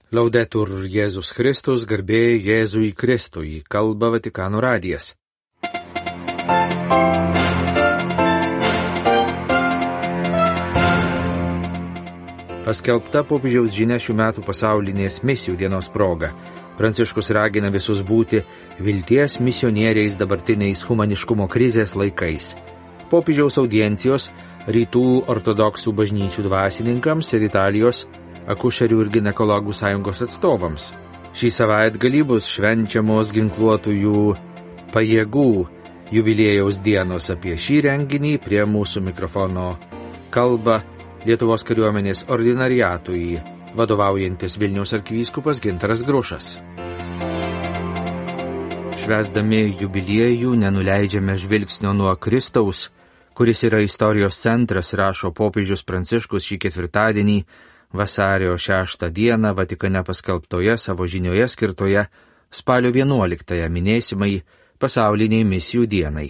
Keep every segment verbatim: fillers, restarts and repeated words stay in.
Laudetur Jėzus Kristus, garbė Jėzui Kristui, kalba Vatikano radijas. Paskelbta popiežiaus žinia šių metų pasaulinės misijų dienos proga. Pranciškus ragina visus būti vilties misionieriais dabartiniais humaniškumo krizės laikais. Popiežiaus audiencijos rytų ortodoksų bažnyčių dvasininkams ir Italijos akušerių ir ginekologų sąjungos atstovams. Šį savaitgalį bus švenčiamos ginkluotųjų pajėgų jubiliejaus dienos. Apie šį renginį prie mūsų mikrofono kalba Lietuvos kariuomenės ordinariatui vadovaujantis Vilniaus arkivyskupas Gintaras Grušas. Švęsdami jubiliejų nenuleidžiame žvilgsnio nuo Kristaus, kuris yra istorijos centras, rašo popiežius Pranciškus šį ketvirtadienį, vasario šeštą dieną Vatikane paskelbtoje savo žinioje skirtoje spalio vienuoliktąją minėsimai pasauliniai misijų dienai.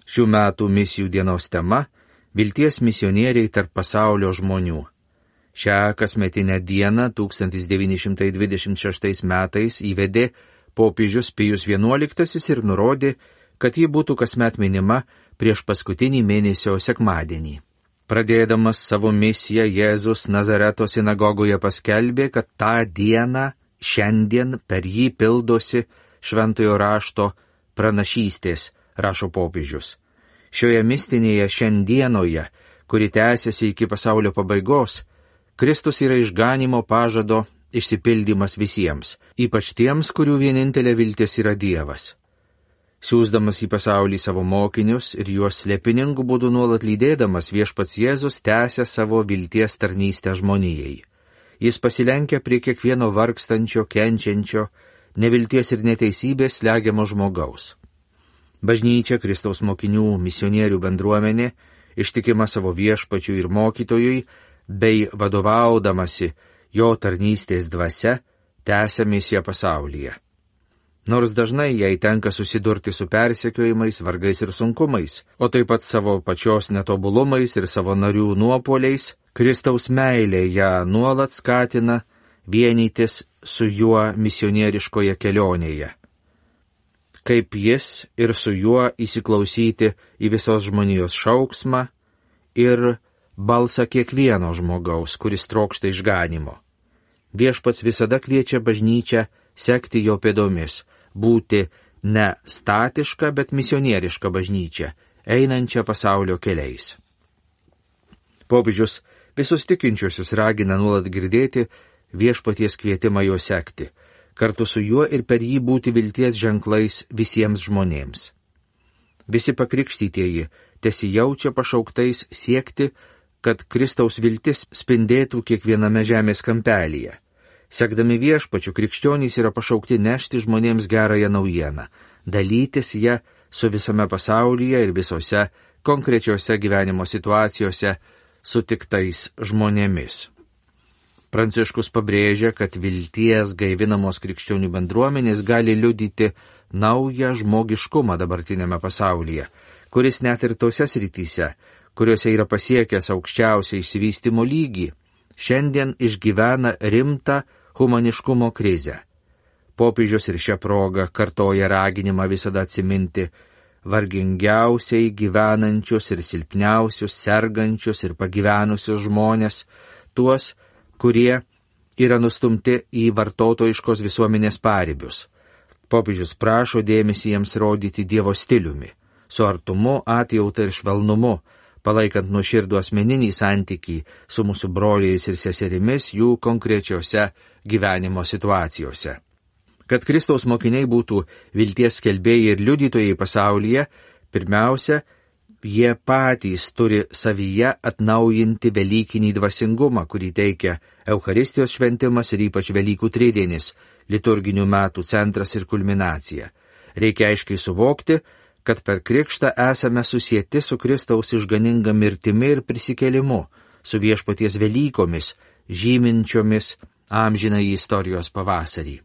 Šių metų misijų dienos tema – vilties misionieriai tarp pasaulio žmonių. Šią kasmetinę dieną tūkstantis devyni šimtai dvidešimt šeštais metais įvedė popiežius Pijus vienuoliktasis ir nurodė, kad ji būtų kasmet minima prieš paskutinį mėnesio sekmadienį. Pradėdamas savo misiją, Jėzus Nazareto sinagogoje paskelbė, kad tą dieną, šiandien per jį pildosi šventojo rašto pranašystės, rašo popiežius. Šioje mistinėje šiandienoje, kuri tęsiasi iki pasaulio pabaigos, Kristus yra išganimo pažado išsipildymas visiems, ypač tiems, kurių vienintelė viltis yra Dievas. Siūsdamas į pasaulį savo mokinius ir juos slėpiningų būdų nuolat lydėdamas, Viešpats Jėzus tęsia savo vilties tarnystę žmonijai. Jis pasilenkia prie kiekvieno vargstančio, kenčiančio, nevilties ir neteisybės slegiamo žmogaus. Bažnyčia, Kristaus mokinių misionierių bendruomenė, ištikima savo Viešpačiui ir mokytojui, bei vadovaudamasi jo tarnystės dvasia, tęsia misiją pasaulyje. Nors dažnai jai tenka susidurti su persekiojimais, vargais ir sunkumais, o taip pat savo pačios netobulumais ir savo narių nuopuoliais, Kristaus meilė ją nuolat skatina vienytis su juo misionieriškoje kelionėje. Kaip jis ir su juo įsiklausyti į visos žmonijos šauksmą ir balsą kiekvieno žmogaus, kuris trokšta išganimo. Viešpats visada kviečia bažnyčią sekti jo pėdomis, būti ne statiška, bet misionieriška bažnyčia, einančia pasaulio keliais. Popiežius visus tikinčiuosius ragina nuolat girdėti Viešpaties kvietimą jo sekti, kartu su juo ir per jį būti vilties ženklais visiems žmonėms. Visi pakrikštytieji tesijaučia pašauktais siekti, kad Kristaus viltis spindėtų kiekviename žemės kampelyje. Sekdami Viešpačiu, krikščionys yra pašaukti nešti žmonėms gerąją naujieną, dalytis ją su visame pasaulyje ir visose konkrečiose gyvenimo situacijose sutiktais žmonėmis. Pranciškus pabrėžia, kad vilties gaivinamos krikščionių bendruomenės gali liudyti naują žmogiškumą dabartinėme pasaulyje, kuris net ir tose srityse, kuriuose yra pasiekęs aukščiausią išsivystymo lygį, šiandien išgyvena rimtą humaniškumo krizę. Popiežius ir šią progą kartoja raginimą visada atsiminti vargingiausiai gyvenančius ir silpniausius, sergančius ir pagyvenusius žmonės, tuos, kurie yra nustumti į vartotojiškos visuomenės paribius. Popiežius prašo dėmesį jiems rodyti Dievo stiliumi, su artumu, atjauta ir švelnumu, palaikant nuoširdų asmeninį santykį su mūsų broliais ir seserimis jų konkrečiose gyvenimo situacijose. Kad Kristaus mokiniai būtų vilties skelbėjai ir liudytojai pasaulyje, pirmiausia, jie patys turi savyje atnaujinti velykinį dvasingumą, kurį teikia Eucharistijos šventimas ir ypač Velykų tridienis, liturginių metų centras ir kulminacija. Reikia aiškiai suvokti, kad per krikštą esame susieti su Kristaus išganinga mirtimi ir prisikėlimu, su Viešpaties Velykomis, žyminčiomis amžinąjį istorijos pavasarį.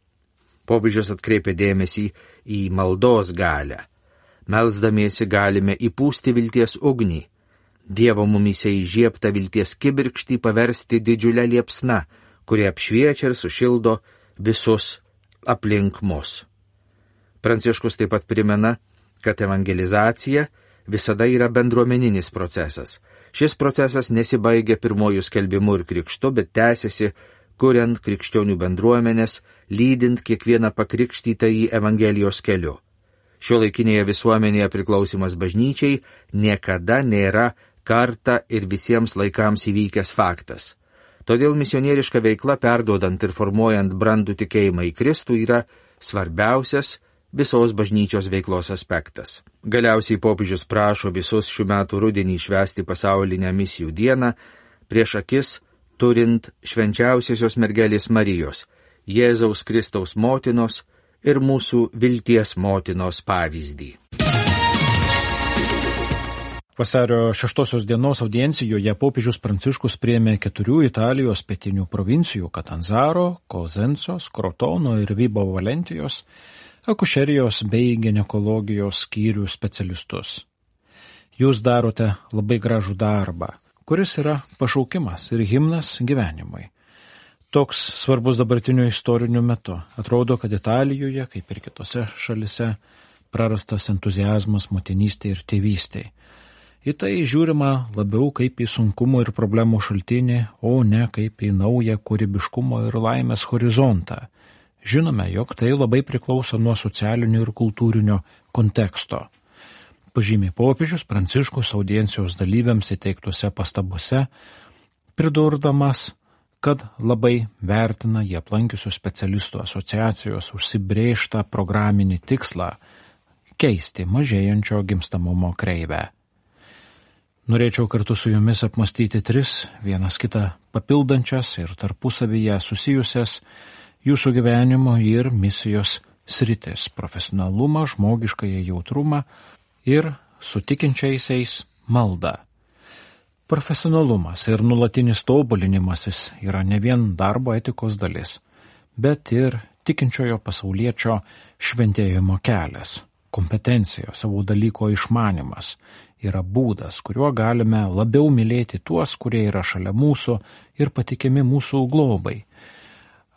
Popiežius atkreipė dėmesį į maldos galią. Melsdamiesi galime įpūsti vilties ugnį, Dievo mumyse įžiebtą vilties kibirkštį paversti didžiulę liepsną, kurie apšviečia ir sušildo visus aplink mus. Pranciškus taip pat primena, kad evangelizacija visada yra bendruomeninis procesas. Šis procesas nesibaigia pirmojų skelbimu ir krikštu, bet tęsiasi, kuriant krikščionių bendruomenės, lydint kiekvieną pakrikštytą į Evangelijos keliu. Šiuolaikinėje visuomenėje priklausimas bažnyčiai niekada nėra kartą ir visiems laikams įvykęs faktas. Todėl misionieriška veikla, perduodant ir formuojant brandų tikėjimą į Kristų, yra svarbiausias visos bažnyčios veiklos aspektas. Galiausiai popiežius prašo visus šių metų rudenį švęsti pasaulinę misijų dieną, prieš akis turint švenčiausiosios mergelės Marijos, Jėzaus Kristaus motinos ir mūsų vilties motinos pavyzdį. Vasario šeštosios dienos audiencijoje popiežius Pranciškus priėmė keturių Italijos pietinių provincijų Katanzaro, Kozensos, Krotono ir Vibo Valentijos akušerijos bei ginekologijos skyrių specialistus. Jūs darote labai gražų darbą, kuris yra pašaukimas ir himnas gyvenimui. Toks svarbus dabartiniu istoriniu metu. Atrodo, kad Italijoje, kaip ir kitose šalise, prarastas entuziazmas motinystė ir tėvystė. Į tai žiūrima labiau kaip į sunkumų ir problemų šaltinį, o ne kaip į naują kūrybiškumo ir laimės horizontą. Žinome, jog tai labai priklauso nuo socialinio ir kultūrinio konteksto. Pažymė popiežius Pranciškus audiencijos dalyviams įteiktuose pastabose, pridurdamas, kad labai vertina jie aplankiusių specialistų asociacijos užsibrėžtą programinį tikslą keisti mažėjančio gimstamumo kreivę. Norėčiau kartu su jumis apmastyti tris, vienas kitą papildančias ir tarpusavyje susijusias jūsų gyvenimo ir misijos sritis – profesionalumą, žmogiškąją jautrumą ir su tikinčiaisiais maldą. Profesionalumas ir nulatinis tobulinimasis yra ne vien darbo etikos dalis, bet ir tikinčiojo pasauliečio šventėjimo kelias, kompetencija, savo dalyko išmanimas yra būdas, kuriuo galime labiau mylėti tuos, kurie yra šalia mūsų ir patikimi mūsų globai.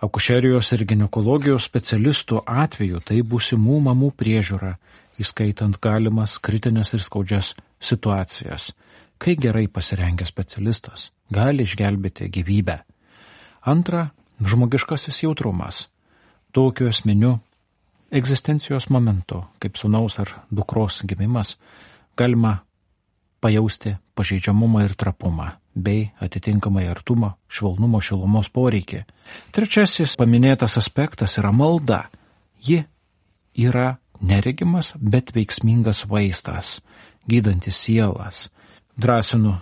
Akušerijos ir ginekologijos specialistų atveju tai būsimų mamų priežiūra, įskaitant galimas kritinės ir skaudžias situacijas. Kai gerai pasirengęs specialistas gali išgelbėti gyvybę. Antra, žmogiškasis jautrumas. Tokiu esminiu egzistencijos momentu, kaip sūnaus ar dukros gimimas, galima pajausti pažeidžiamumą ir trapumą, bei atitinkamai artumo, švelnumo, šilumos poreikį. Trečiasis paminėtas aspektas yra malda. Ji yra neregimas, bet veiksmingas vaistas, gydantis sielas. Drąsinu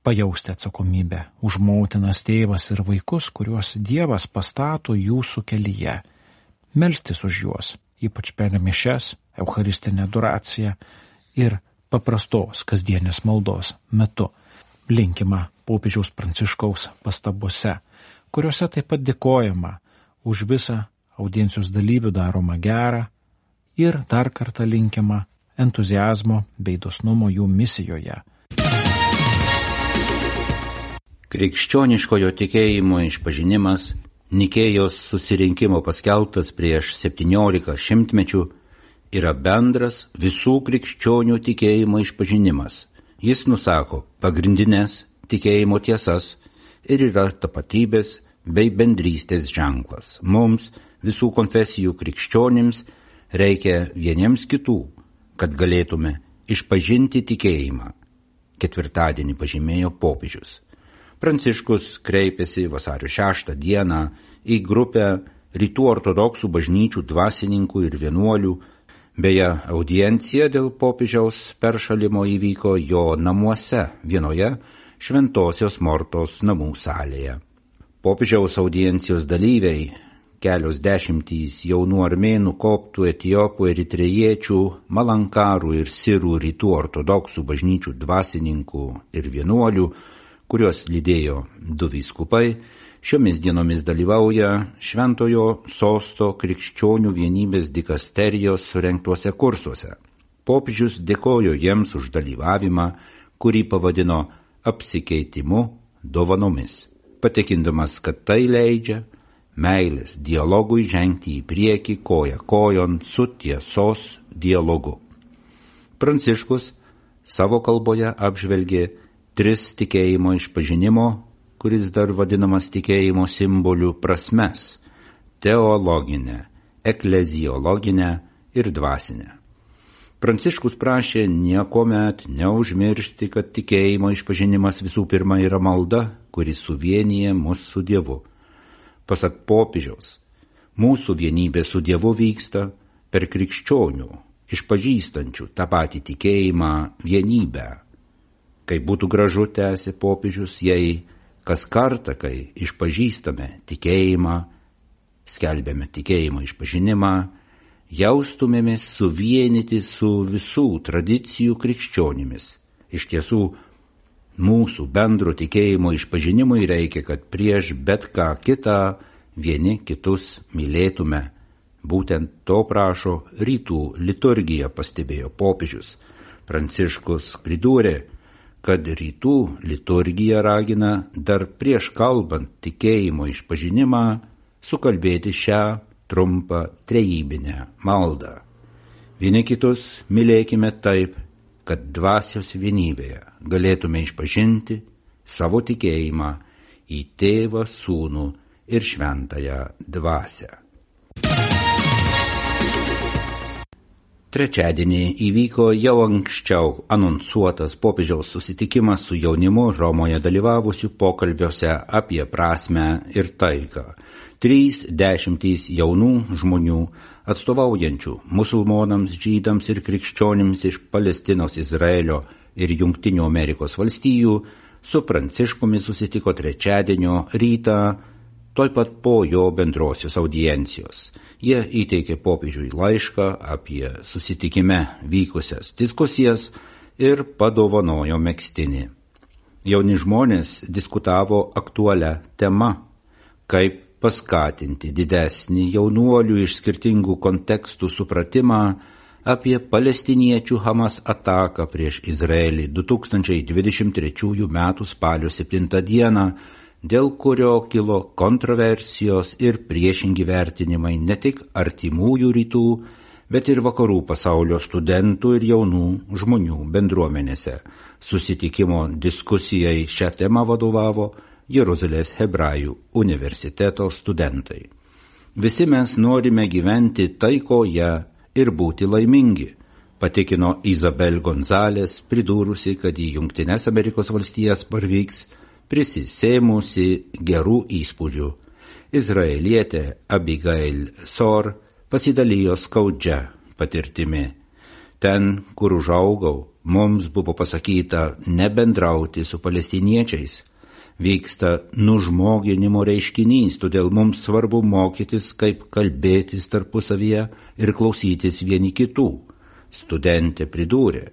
pajausti atsakomybę už motinas, tėvas ir vaikus, kuriuos Dievas pastato jūsų kelyje. Melstis už juos, ypač per mišias, eucharistinę adoraciją ir paprastos kasdienės maldos metu. Linkima popiežiaus Pranciškaus pastabose, kuriuose taip pat dėkojama už visą audiencijos dalyvių daromą gerą ir dar kartą linkima entuziazmo bei dosnumo jų misijoje. Krikščioniškojo tikėjimo išpažinimas Nikėjos susirinkimo paskelbtas prieš septyniolika šimtmečių yra bendras visų krikščionių tikėjimo išpažinimas. Jis nusako pagrindinės tikėjimo tiesas ir yra tapatybės bei bendrystės ženklas. Mums, visų konfesijų krikščionims, reikia vieniems kitų, kad galėtume išpažinti tikėjimą. Ketvirtadienį pažymėjo popiežius. Pranciškus kreipėsi vasario šeštą dieną į grupę rytų ortodoksų bažnyčių dvasininkų ir vienuolių. Beje, audiencija dėl popiežiaus peršalimo įvyko jo namuose, vienoje Šventosios Mortos namų salėje. Popiežiaus audiencijos dalyviai, kelios dešimtys jaunų armėnų, koptų, etiopų, eritrejiečių, malankarų ir sirų rytų ortodoksų bažnyčių dvasininkų ir vienuolių, kuriuos lydėjo du vyskupai, šiomis dienomis dalyvauja Šventojo Sosto krikščionių vienybės dikasterijos surengtuose kursuose. Popiežius dėkojo jiems už dalyvavimą, kurį pavadino apsikeitimu dovanomis. patikindamas, kad tai leidžia meilės dialogui žengti į priekį koja kojon su tiesos dialogu. Pranciškus savo kalboje apžvelgė tris tikėjimo išpažinimo, kuris dar vadinamas tikėjimo simbolių prasmes – teologinę, ekleziologinę ir dvasinę. Pranciškus prašė niekuomet neužmiršti, kad tikėjimo išpažinimas visų pirma yra malda, kuri suvienyje mus su Dievu. Pasak popiežiaus, mūsų vienybė su Dievu vyksta per krikščionių, išpažįstančių tą patį tikėjimą vienybę. Kaip būtų gražu, tęsė popiežius, jei kas kartą, kai išpažįstame tikėjimą, skelbėme tikėjimo išpažinimą, jaustumėmės suvienyti su visų tradicijų krikščionimis. Iš tiesų, mūsų bendro tikėjimo išpažinimui reikia, kad prieš bet ką kitą vieni kitus mylėtume. Būtent to prašo rytų liturgija, pastebėjo popiežius. Pranciškus pridūrė, kad rytų liturgija ragina dar prieš kalbant tikėjimo išpažinimą sukalbėti šią trumpą trejybinę maldą. Vieni kitus mylėkime taip, kad dvasios vienybėje galėtume išpažinti savo tikėjimą į Tėvą, Sūnų ir Šventąją Dvasią. Trečiadienį įvyko jau anksčiau anonsuotas popiežiaus susitikimas su jaunimu Romoje dalyvavusių pokalbiuose apie prasmę ir taiką. Trys dešimtys jaunų žmonių, atstovaujančių musulmonams, žydams ir krikščionims iš Palestinos, Izraelio ir Jungtinių Amerikos valstijų, su Pranciškumi susitiko trečiadienio rytą, tuoj pat po jo bendrosios audiencijos. Jie įteikė popiežiui laišką apie susitikime vykusias diskusijas ir padovanojo megztinį. Jauni žmonės diskutavo aktualią temą, kaip paskatinti didesnį jaunuolių iš skirtingų kontekstų supratimą apie palestiniečių Hamas ataką prieš Izraelį du tūkstančiai dvidešimt trečiųjų metų spalio septintą dieną, dėl kurio kilo kontroversijos ir priešingi vertinimai ne tik artimųjų rytų, bet ir vakarų pasaulio studentų ir jaunų žmonių bendruomenėse. Susitikimo diskusijai šią temą vadovavo Jeruzalės Hebrajų universiteto studentai. Visi mes norime gyventi taikoje ir būti laimingi, patikino Izabel Gonzalės, pridūrusi, kad į Jungtines Amerikos valstijas parvyks prisisėmusi gerų įspūdžių. Izraelietė Abigail Sor pasidalijo skaudžia patirtimi. Ten, kur užaugau, mums buvo pasakyta nebendrauti su palestiniečiais. Vyksta nužmoginimo reiškinys, todėl mums svarbu mokytis, kaip kalbėtis tarpusavyje ir klausytis vieni kitų. Studentė pridūrė,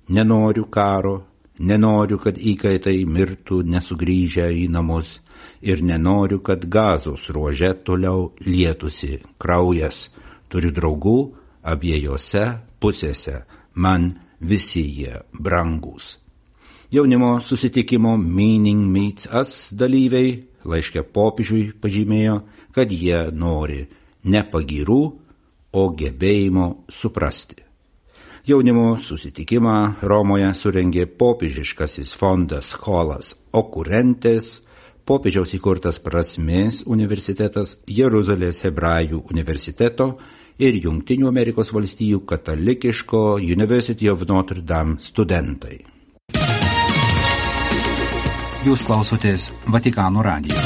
nenoriu karo, nenoriu, kad įkaitai mirtų nesugrįžę į namus ir nenoriu, kad Gazos ruože toliau lietusi kraujas. Turiu draugų abiejose pusėse, man visi jie brangūs. Jaunimo susitikimo Meaning Meets Us dalyviai laiške popiežiui pažymėjo, kad jie nori ne pagyrų, o gebėjimo suprasti. Jaunimo susitikimą Romoje surengė popiežiškasis fondas Scholas Occurrentes, popiežiaus įkurtas Prasmės universitetas, Jeruzalės Hebrajų universiteto ir Jungtinių Amerikos valstijų katalikiško University of Notre Dame studentai. Jūs klausotės Vatikano radijo.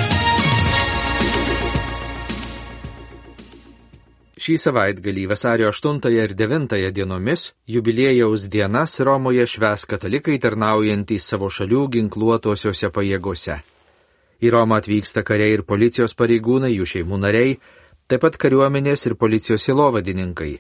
Šį savaitgalį vasario aštuntąją ir devintąją dienomis jubiliejaus dienas Romoje švęs katalikai tarnaujantys savo šalių ginkluotosiose pajėgose. Į Romą atvyksta kariai ir policijos pareigūnai, jų šeimų nariai, taip pat kariuomenės ir policijos sielovadininkai.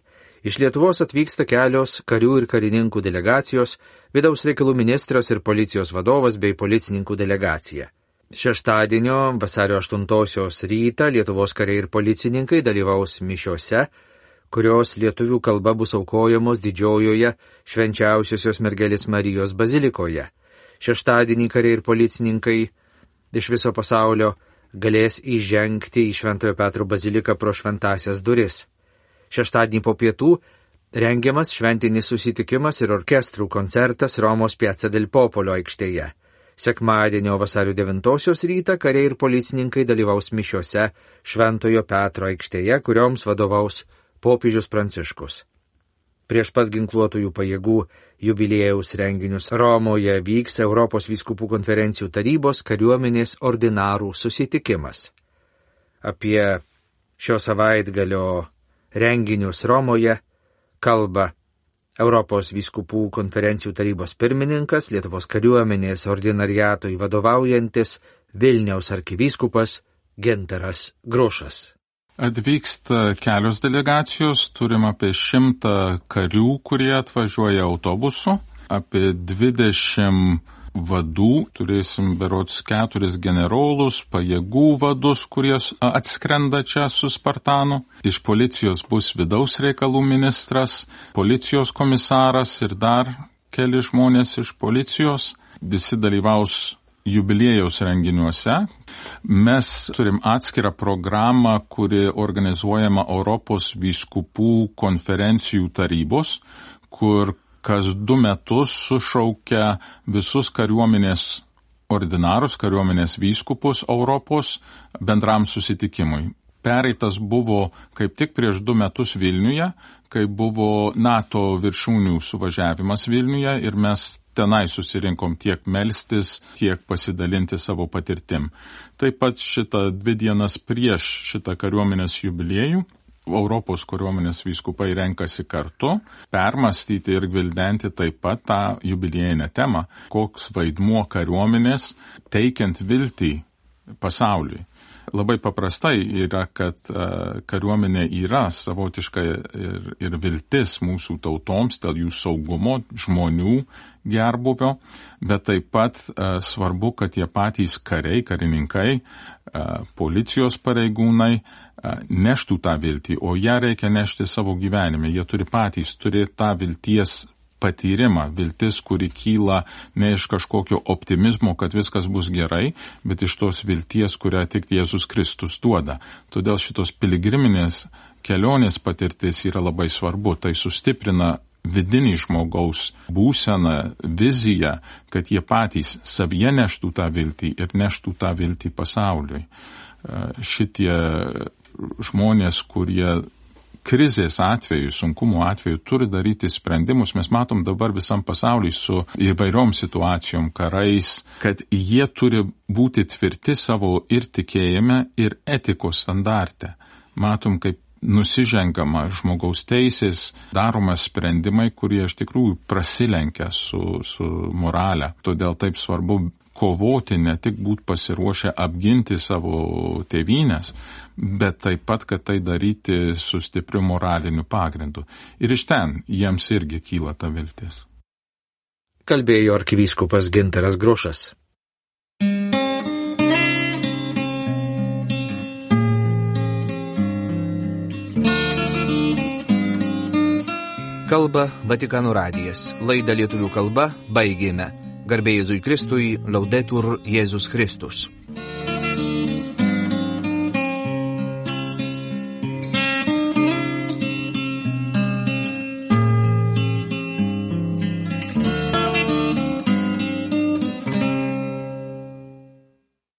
Iš Lietuvos atvyksta kelios karių ir karininkų delegacijos, vidaus reikalų ministras ir policijos vadovas bei policininkų delegacija. Šeštadienio vasario aštuntosios rytą Lietuvos kariai ir policininkai dalyvaus mišiose, kurios lietuvių kalba bus aukojamos Didžiojoje Švenčiausiosios Mergelės Marijos bazilikoje. Šeštadienį kariai ir policininkai iš viso pasaulio galės įžengti į Šventojo Petro baziliką pro šventąsias duris. Šeštadienį po pietų rengiamas šventinis susitikimas ir orkestrų koncertas Romos Piazza del Popolo aikštėje. Sekmadienio vasario devintosios rytą kariai ir policininkai dalyvaus mišiose Šventojo Petro aikštėje, kurioms vadovaus popiežius Pranciškus. Prieš pat ginkluotųjų pajėgų jubiliejaus renginius Romoje vyks Europos vyskupų konferencijų tarybos kariuomenės ordinarų susitikimas. Apie šio savaitgalio renginius Romoje kalba Europos vyskupų konferencijų tarybos pirmininkas, Lietuvos kariuomenės ordinariatui vadovaujantis Vilniaus arkivyskupas Gintaras Grušas. Atvyksta kelios delegacijos, turim apie šimtą karių, kurie atvažiuoja autobusu, apie dvidešimt vadų, turėsim berods keturis generolus, pajėgų vadus, kurie atskrenda čia su Spartanu. Iš policijos bus vidaus reikalų ministras, policijos komisaras ir dar keli žmonės iš policijos. Visi dalyvaus jubiliejaus renginiuose. Mes turim atskirą programą, kuri organizuojama Europos vyskupų konferencijų tarybos, kur kas du metus sušaukia visus kariuomenės ordinarus, kariuomenės vyskupus Europos bendram susitikimui. Pereitas buvo kaip tik prieš du metus Vilniuje, kai buvo NATO viršūnių suvažiavimas Vilniuje ir mes tenai susirinkom tiek melstis, tiek pasidalinti savo patirtim. Taip pat šitą dvi dienas prieš šitą kariuomenės jubiliejų Europos kariuomenės vyskupai renkasi kartu, permastyti ir gvildenti taip pat tą jubiliejinę temą, koks vaidmuo kariuomenės teikiant viltį pasauliui. Labai paprastai yra, kad uh, kariuomenė yra savotiška ir, ir viltis mūsų tautoms dėl jų saugumo, žmonių gerbuvio, bet taip pat uh, svarbu, kad tie patys kariai, karininkai, uh, policijos pareigūnai uh, neštų tą viltį, o ją reikia nešti savo gyvenime. Jie turi patys turėti tą vilties patyrimą, viltis, kuri kyla ne iš kažkokio optimizmo, kad viskas bus gerai, bet iš tos vilties, kurią tik Jėzus Kristus duoda. Todėl šitos piligriminės kelionės patirtis yra labai svarbu. Tai sustiprina vidinį žmogaus būseną, viziją, kad jie patys savyje neštų tą viltį ir neštų tą viltį pasauliui. Šitie žmonės, kurie krizės atveju, sunkumų atveju turi daryti sprendimus. Mes matom dabar visam pasauliu su įvairiom situacijom, karais, kad jie turi būti tvirti savo ir tikėjime, ir etikos standarte. Matom, kaip nusižengama žmogaus teisės, daroma sprendimai, kurie iš tikrųjų prasilenkia su, su morale. Todėl taip svarbu kovoti, ne tik būti pasiruošę apginti savo tėvynės, bet taip pat, kad tai daryti su stipriu moraliniu pagrindu. Ir iš ten jiems irgi kyla ta viltis. Kalbėjo arkivyskupas Gintaras Grušas. Kalba Vatikano radijas. Laidą lietuvių kalba baigėme. Garbė Jėzui Kristui, Laudetur Jėzus Kristus.